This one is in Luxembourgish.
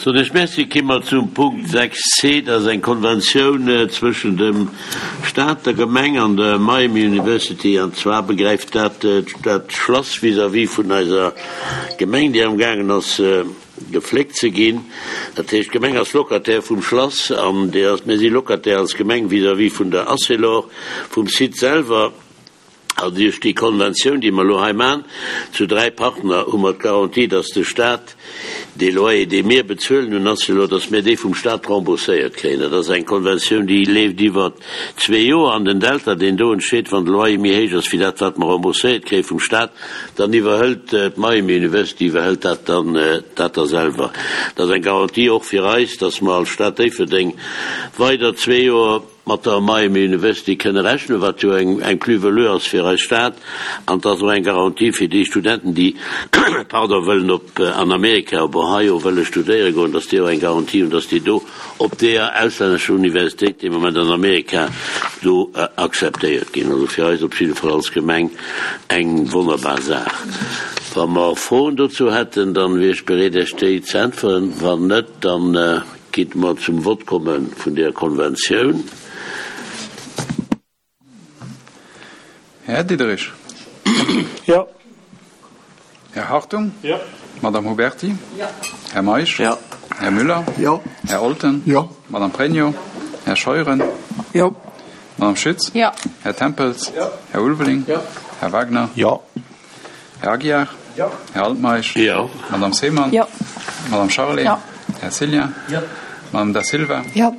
Soen ech Merci. Ki mer zum Punkt 6 c, dat ass eng Konventioun zwëschen dem Stat, der Gemeng an der Miami University. An zwar begräift dat dat Schlass vis-à-vis vun eiser Gemeng, déi amgaangen ass gefléckt ze ginn. Dat heescht, d'Gemeng ass Locataire vum Schlass an déi ass, mir si Locataire als Gemeng vis-à-vis vun der Arcelor, vum Site selwer. An duerch déi Konventioun, déi mer elo hei maachen, zu 3 Partner, hu mer d'Garantie, dass de Stat dee Loyer, dee mir bezuelen un Arcelor, dass mir dee vum Stat rembourséiert kréien. Dat ass eng Konventioun, déi leeft iwwer zwee Joer. An den Delta, deen do entsteet, wann de Loyer méi héich ass wéi dat, wat mer rembourséiert kréie vum Stat, dann iwwerhëlt d'Miami University iwwerhëlt dat dann dat da selwer. Dat ass eng Garantie och fir eis, dass mer als Stad Déifferdeng weider zwee Joer, mat der Miami University kënne rechnen, wat jo eng eng Plus-value ass fir eis Stad, an et ass och eng Garantie fir déi Studenten, déi, pardon, wëllen op an Amerika, op Ohio wëlle studéiere goen, dass déi och eng Garantie hunn, dass déi do op deeër auslännescher Universitéit dee Moment an Amerika do akzeptéiert ginn. Also fir eis op jidde Fall als Gemeng eng wonnerbar Saach. Wa mer Froen dozou hätten, dann wier ech bereet Iech déi ze äntweren. Wann net, dann Gitt mer zum Vott komme vun där Konventioun. Här Diderich. Jo. Här Hartung. Jo. Madame Huberti. Jo. Här Meisch. Jo. Här Müller. Jo. Här Olten. Jo. Madame Pregno. Här Scheuren. Jo. Madame Schütz. Jo. Här Tempels. Jo. Här Ulveling. Jo. Här Wagner. Jo. Här Aguiar. Jo. Här Altmeisch. Jo. Madame Seemann. Jo. Madame Charlé. Jo. Här Cillien. Jo. Madame Da Silva. Jo.